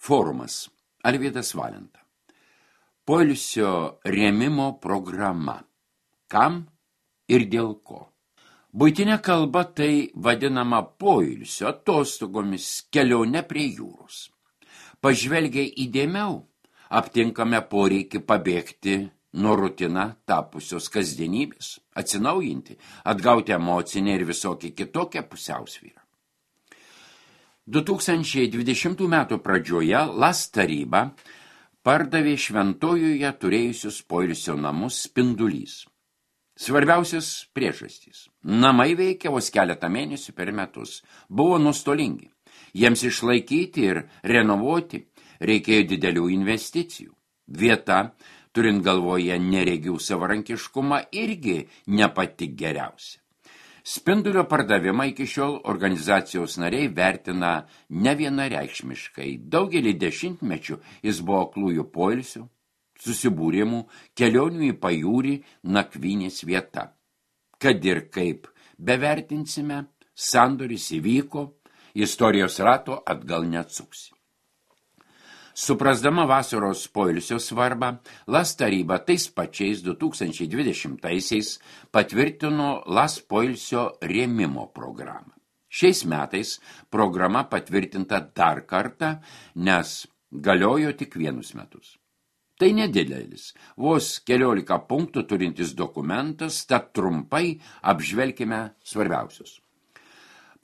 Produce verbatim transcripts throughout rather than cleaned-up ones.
Forumas. Alvydas Valenta. Poilsio rėmimo programa. Kam ir dėl ko? Buitinė kalba tai vadinama poilsio atostogomis, kelionė prie jūros. Pažvelgiai įdėmiau, aptinkame poreikį pabėgti nuo rutina tapusios kasdienybės, atsinaujinti, atgauti emocinę ir visokį kitokią pusiausvyrą. du tūkstančiai dvidešimtų metų pradžioje LAS taryba pardavė Šventojoje turėjusius poilsio namus Spindulys. Svarbiausias priežastys. Namai veikia vos keletą mėnesių per metus. Buvo nustolingi. Jiems išlaikyti ir renovuoti reikėjo didelių investicijų. Vieta, turint galvoje neregių savarankiškumą, irgi ne pati geriausia. Spindulio pardavimą iki šiol organizacijos nariai vertina nevienareikšmiškai. Daugelį dešimtmečių jis buvo aklųjų poilsių, susibūrimų, kelionių į pajūrį, nakvynės vieta. Kad ir kaip bevertinsime, sandoris įvyko, istorijos rato atgal neatsuksi. Suprasdama vasaros poilsio svarbą, LAS taryba tais pačiais du tūkstančiai dvidešimtaisiais patvirtino LAS poilsio rėmimo programą. Šiais metais programa patvirtinta dar kartą, nes galiojo tik vienus metus. Tai nedidelis, vos keliolika punktų turintis dokumentas, tad trumpai apžvelkime svarbiausius.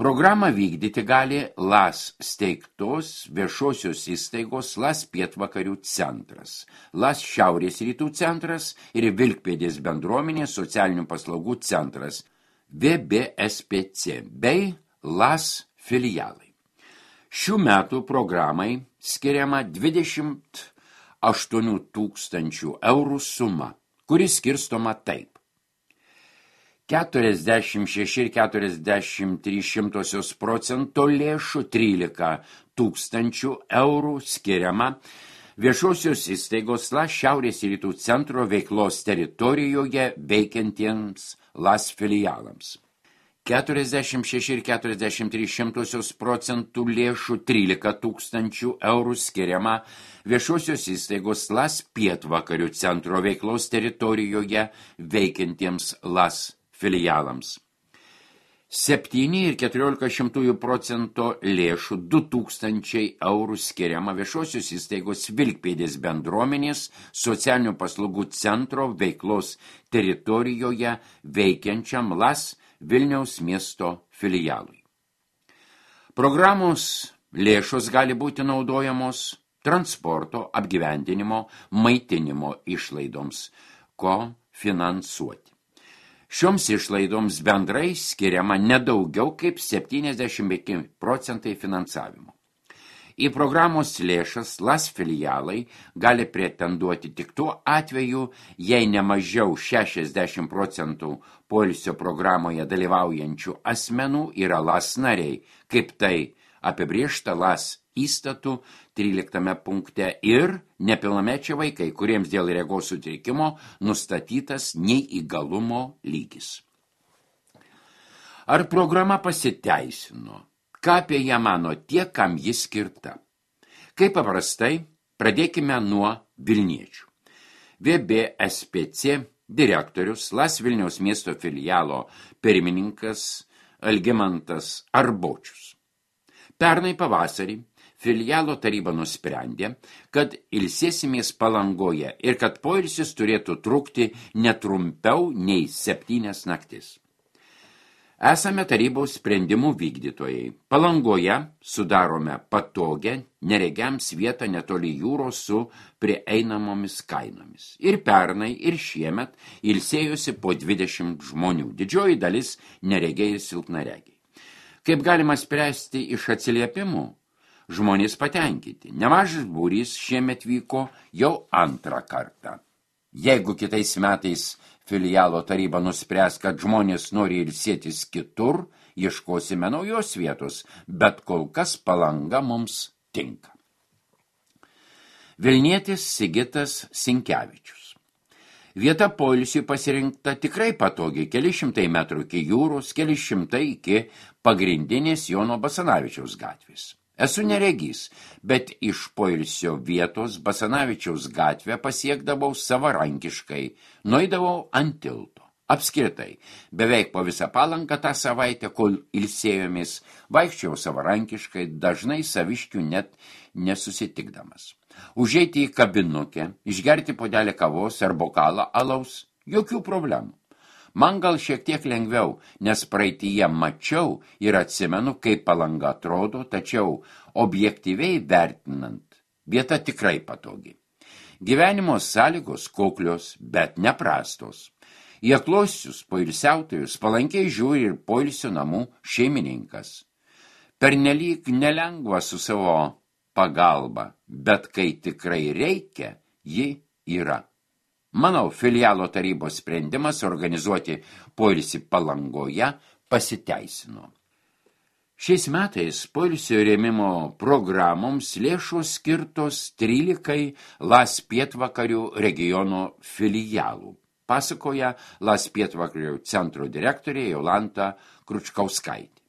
Programą vykdyti gali LAS steigtos viešosios įstaigos LAS pietvakarių centras, LAS šiaurės rytų centras ir Vilkpėdės bendruomenės socialinių paslaugų centras V B S P C bei LAS filialai. Šių metų programai skiriama dvidešimt aštuonių tūkstančių eurų suma, kuri skirstoma taip. keturiasdešimt šeši ir keturiasdešimt trys šimtosios procento lėšų trylika tūkstančių eurų skiriama viešosios įstaigos LAS šiaurės rytų centro veiklos teritorijoje veikiantiems LAS filialams. keturiasdešimt šeši ir keturiasdešimt trys šimtosios procentų lėšų trylika tūkstančių eurų skiriama viešosios įstaigos LAS pietvakarių centro veiklos teritorijoje veikiantiems LAS filialams. septyni ir keturiolika šimtųjų procento lėšų du tūkstančiai eurų skiriama viešosios įstaigos Vilkpėdės bendruomenės socialinių paslaugų centro veiklos teritorijoje veikiančiam LAS Vilniaus miesto filialui. Programos lėšos gali būti naudojamos transporto, apgyvendinimo, maitinimo išlaidoms, ko finansuoti. Šioms išlaidoms bendrai skiriama nedaugiau kaip septyniasdešimt penki procentai finansavimo. Į programos lėšas LAS filialai gali pretenduoti tik tuo atveju, jei ne mažiau šešiasdešimt procentų poilsio programoje dalyvaujančių asmenų yra LAS nariai, kaip tai apibrėžta LAS įstatų tryliktame punkte ir nepilnamečiai vaikai, kuriems dėl regos sutrikimo nustatytas neįgalumo lygis. Ar programa pasiteisino? Ką apie ją mano tie, kam jis skirta? Kaip paprastai, pradėkime nuo Vilniečių. V B S P C direktorius, LAS Vilniaus miesto filialo pirmininkas Algimantas Arbočius. Pernai pavasarį filialo taryba nusprendė, kad ilsėsimės Palangoje ir kad poilsis turėtų trukti netrumpiau nei septynias naktis. Esame tarybos sprendimų vykdytojai. Palangoje sudarome patogią neregiams vietą netoli jūros su prieinamomis kainomis. Ir pernai, ir šiemet ilsėjosi po dvidešimt žmonių, didžioji dalis neregiai ir silpnaregiai. Kaip galima spręsti iš atsiliepimų? Žmonės patenkinti. Nemažas būrys šiemet vyko jau antrą kartą. Jeigu kitais metais filialo taryba nuspręs, kad žmonės nori ilsėtis kitur, ieškosime naujos vietos, bet kol kas Palanga mums tinka. Vilnietis Sigitas Sinkevičius. Vieta poilsiui pasirinkta tikrai patogiai, keli šimtai metrų iki jūros, keli šimtai iki pagrindinės Jono Basanavičiaus gatvės. Esu neregys, bet iš poilsio vietos Basanavičiaus gatvę pasiekdavau savarankiškai, nueidavau ant tilto. Apskritai, beveik po visą Palanką tą savaitę, kol ilsėjomės, vaikščiau savarankiškai, dažnai saviškių net nesusitikdamas. Užeiti į kabinukę, išgerti puodelį kavos ar bokalą alaus, jokių problemų. Man gal šiek tiek lengviau, nes praeityje mačiau ir atsimenu, kaip Palanga atrodo, tačiau objektyviai vertinant, vieta tikrai patogi. Gyvenimo sąlygos kuklios, bet neprastos. Į aklosius poilsiautojus palankiai žiūri ir poilsio namų šeimininkas. Pernelyg nelengva su savo pagalba, bet kai tikrai reikia, ji yra. Manau, filialo tarybos sprendimas organizuoti poilsį Palangoje pasiteisino. Šiais metais poilsio rėmimo programoms lėšos skirtos trylikai Las Pietvakarių regiono filialų, pasakoja Las Pietvakarių centro direktorė Jolanta Kručkauskaitė.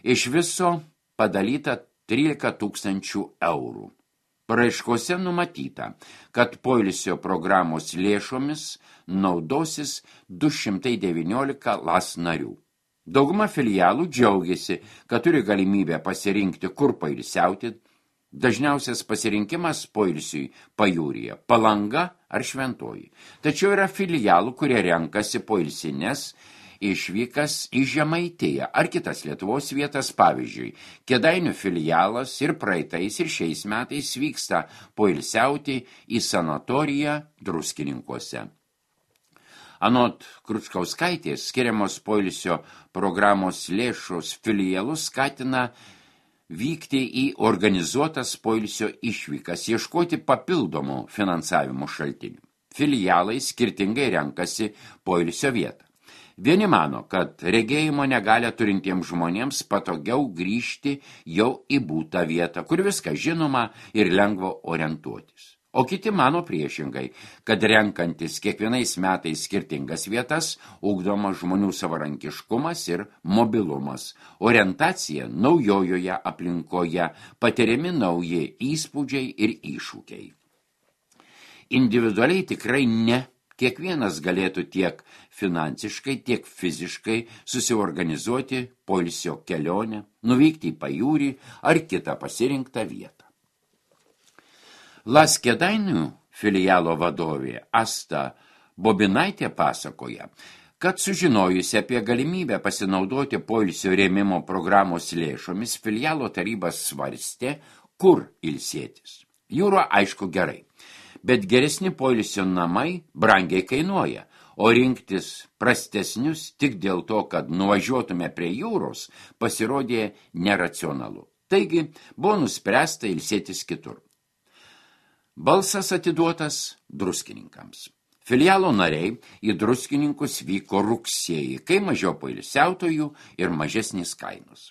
Iš viso padalyta trylika tūkstančių eurų. Paraiškose numatyta, kad poilsio programos lėšomis naudosis du šimtai devyniolika Las narių. Dauguma filialų džiaugiasi, kad turi galimybę pasirinkti, kur poilsiauti. Dažniausias pasirinkimas poilsiui pajūryje, Palanga ar Šventoji. Tačiau yra filialų, kurie renkasi poilsines išvykas į Žemaitiją ar kitas Lietuvos vietas, pavyzdžiui. Kėdainių filialas ir praeitais ir šiais metais vyksta poilsiauti į sanatoriją Druskininkuose. Anot Kručkauskaitės, skiriamos poilsio programos lėšos filialus skatina vykti į organizuotas poilsio išvykas, ieškoti papildomų finansavimo šaltinių. Filialai skirtingai renkasi poilsio vietą. Vieni mano, kad regėjimo negalią turintiems žmonėms patogiau grįžti jau į būtą vietą, kur viską žinoma ir lengva orientuotis. O kiti mano priešingai, kad renkantis kiekvienais metais skirtingas vietas, ugdoma žmonių savarankiškumas ir mobilumas, orientacija naujojoje aplinkoje, patiriami nauji įspūdžiai ir iššūkiai. Individualiai tikrai ne. Kiekvienas galėtų tiek finansiškai, tiek fiziškai susiorganizuoti poilsio kelionę, nuvykti į pajūrį ar kitą pasirinktą vietą. Las Kėdainių filialo vadovė Asta Bobinaitė pasakoja, kad sužinojusi apie galimybę pasinaudoti poilsio rėmimo programos lėšomis, filialo tarybas svarstė, kur ilsėtis. Jūra aišku gerai. Bet geresni poilsio namai brangiai kainuoja, o rinktis prastesnius tik dėl to, kad nuvažiuotume prie jūros, pasirodė neracionalu. Taigi buvo nuspręsta ilsėtis kitur. Balsas atiduotas druskininkams. Filialo nariai į druskininkus vyko rugsėjį, kai mažiau poilsiautojų ir mažesnis kainos.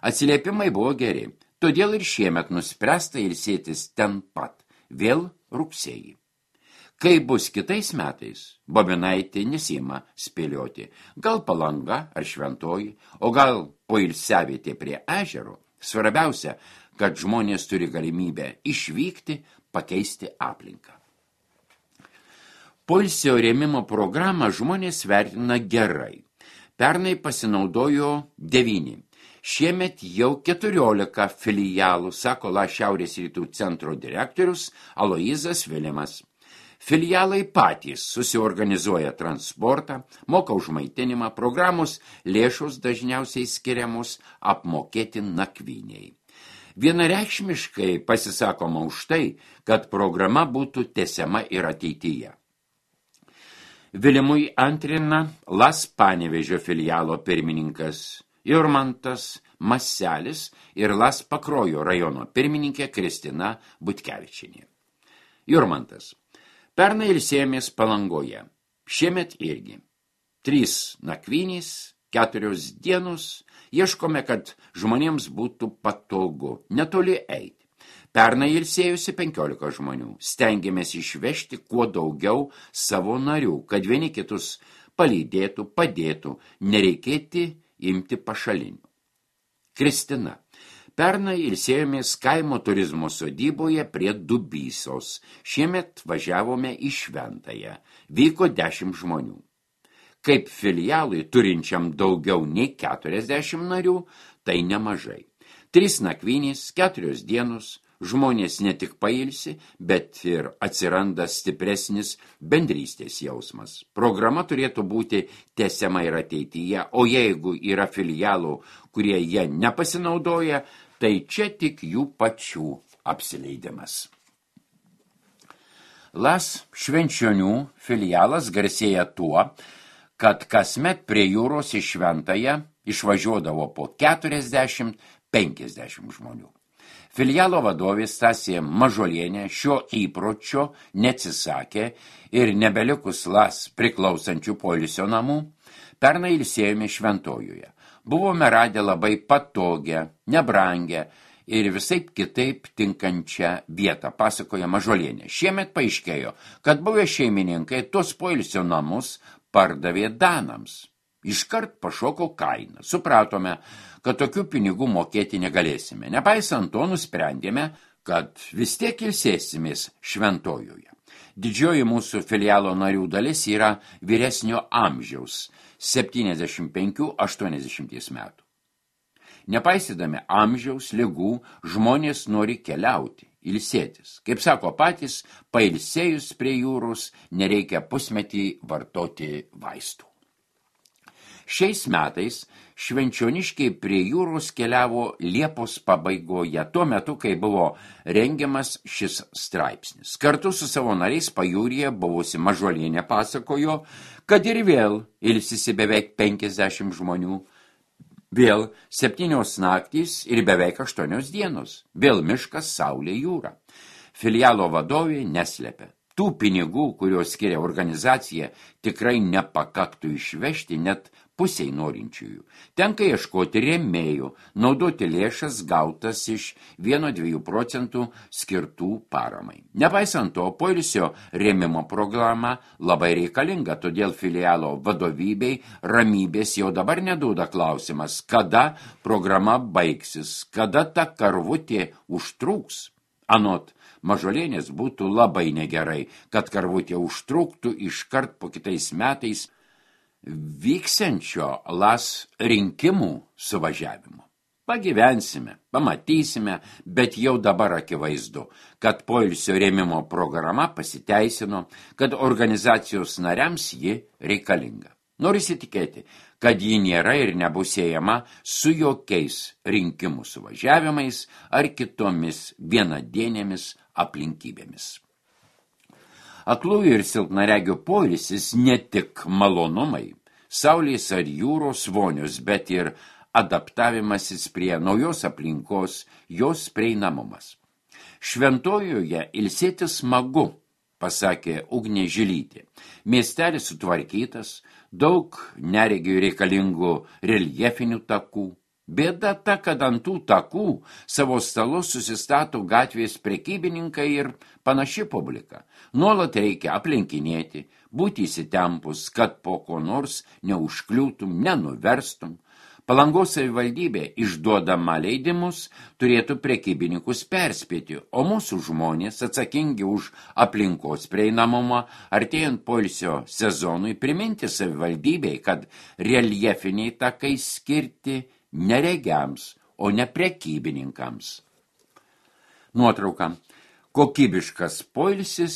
Atsiliepimai buvo geri, todėl ir šiemet nuspręsta ilsėtis ten pat, vėl rugsėjį. Kai bus kitais metais, Bobinaitė nesima spėlioti, gal Palanga ar Šventoji, o gal poilsiavietė prie ežero. Svarbiausia, kad žmonės turi galimybę išvykti, pakeisti aplinką. Poilsio rėmimo programą žmonės vertina gerai. Pernai pasinaudojo devyni. Šiemet jau keturiolika filialų, sako La Šiaurės rytų centro direktorius Aloizas Vilimas. Filialai patys susiorganizuoja transportą, moka už maitinimą, programos lėšos dažniausiai skiriamos apmokėti nakvyniai. Vienareikšmiškai pasisakoma už tai, kad programa būtų tęsiama ir ateityje. Vilimui antrina Las Panevėžio filialo pirmininkas Jurmantas Maselis ir Las Pakruojo rajono pirmininkė Kristina Butkevičienė. Jurmantas. Pernai ilsėjomės Palangoje. Šiemet irgi. Trys nakvynės, keturios dienos. Ieškome, kad žmonėms būtų patogu, netoli eiti. Pernai ilsėjusi penkiolika žmonių. Stengiamės išvežti kuo daugiau savo narių, kad vieni kitus palydėtų, padėtų, nereikėti imti pašalinių. Kristina. Pernai ilsėjomės kaimo turizmo sodyboje prie Dubysos. Šiemet važiavome į Šventąją. Vyko dešimt žmonių. Kaip filialui turinčiam daugiau nei keturiasdešimt narių, tai nemažai. Trys nakvynės, keturios dienos, žmonės ne tik pailsi, bet ir atsiranda stipresnis bendrystės jausmas. Programa turėtų būti tęsiama ir ateityje, o jeigu yra filialų, kurie jie nepasinaudoja, tai čia tik jų pačių apsileidimas. Las Švenčionių filialas garsėja tuo, kad kasmet prie jūros į Šventąją išvažiuodavo po keturiasdešimt penkiasdešimt žmonių. Filialo vadovė Stasė Mažolienė šio įpročio neatsisakė ir nebelikus Las priklausančių poilsio namų, pernai ilsėjome Šventojoje. Buvome radę labai patogią, nebrangę ir visaip kitaip tinkančią vietą, pasakoja Mažolienė. Šiemet paaiškėjo, kad buvę šeimininkai tos poilsio namus pardavė danams. Iškart pašoko kainą. Supratome, kad tokių pinigų mokėti negalėsime. Nepaisant to, nusprendėme, kad vis tiek ilsėsimės Šventojoje. Didžioji mūsų filialo narių dalis yra vyresnio amžiaus, septyniasdešimt penkių aštuoniasdešimt metų. Nepaisydami amžiaus, ligų, žmonės nori keliauti, ilsėtis. Kaip sako patys, pailsėjus prie jūros nereikia pusmetį vartoti vaistų. Šiais metais švenčioniškiai prie jūros keliavo Liepos pabaigoje, tuo metu, kai buvo rengiamas šis straipsnis. Kartu su savo nariais pajūryje buvusi Mažolienė pasakojo, kad ir vėl ilsisi beveik penkiasdešimt žmonių, vėl septynios naktys ir beveik aštuonios dienos, vėl miškas, saulė, jūra. Filialo vadovė neslėpė. Tų pinigų, kuriuos skiria organizacija, tikrai nepakaktų išvežti net pusiai norinčiųjų. Tenka ieškoti rėmėjų, naudoti lėšas gautas iš vieno iki dviejų procentų skirtų paramai. Nepaisant to, poilsio rėmimo programa labai reikalinga, todėl filialo vadovybei ramybės jau dabar neduoda klausimas, kada programa baigsis, kada ta karvutė užtrūks. Anot Mažolienės būtų labai negerai, kad karvutė užtruktų iškart po kitais metais vyksiančio Las rinkimų suvažiavimo. Pagyvensime, pamatysime, bet jau dabar akivaizdu, kad poilsio rėmimo programa pasiteisino, kad organizacijos nariams ji reikalinga. Norisi tikėti, kad ji nėra ir nebus siejama su jokiais rinkimų suvažiavimais ar kitomis vienadienėmis aplinkybėmis. Aklųjų ir silpnaregių poilsis ne tik malonumai, saulės ar jūros vonios, bet ir adaptavimasis prie naujos aplinkos, jos prieinamumas. Šventojoje ilsėtis smagu, pasakė Ugnė Žilytė. Miestelis sutvarkytas, daug neregių reikalingų reljefinių takų. Bėda ta, kad ant tų takų savo stalus susistato gatvės prekybininkai ir panaši publika. Nuolat reikia aplenkinėti, būti įsitempus, kad po ko nors neužkliūtum, nenuverstum. Palangos savivaldybė išduodama leidimus turėtų prekybininkus perspėti, o mūsų žmonės atsakingi už aplinkos prieinamumą artėjant poilsio sezonui priminti savivaldybei, kad reljefiniai takai skirti neregiams, o ne prekybininkams. Nuotrauka. Kokybiškas poilsis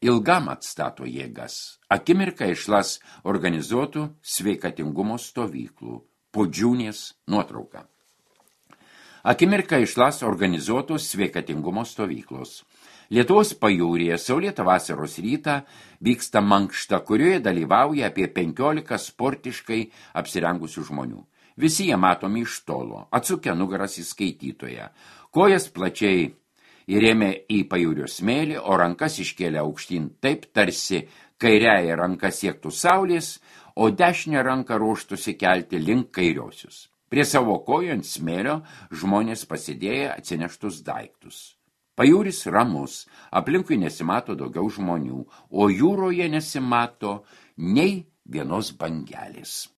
ilgam atstato jėgas. Akimirka iš Las organizuotų sveikatingumo stovyklų. Pudžiūnės nuotrauka. Akimirka iš Las organizuotos sveikatingumo stovyklos. Lietuvos pajūryje saulėtą vasaros rytą vyksta mankšta, kurioje dalyvauja apie penkiolika sportiškai apsirengusių žmonių. Visi jie matomi iš tolo, atsukę nugaras į skaitytoją. Kojas plačiai įrėmė į pajūrio smėlį, o rankas iškėlė aukštyn taip, tarsi kairiąją ranką siektų saulės, o dešinę ranką ruoštųsi kelti link kairiosius. Prie savo kojų ant smėlio žmonės pasidėję atsineštus daiktus. Pajūris ramus, aplinkui nesimato daugiau žmonių, o jūroje nesimato nei vienos bangelės.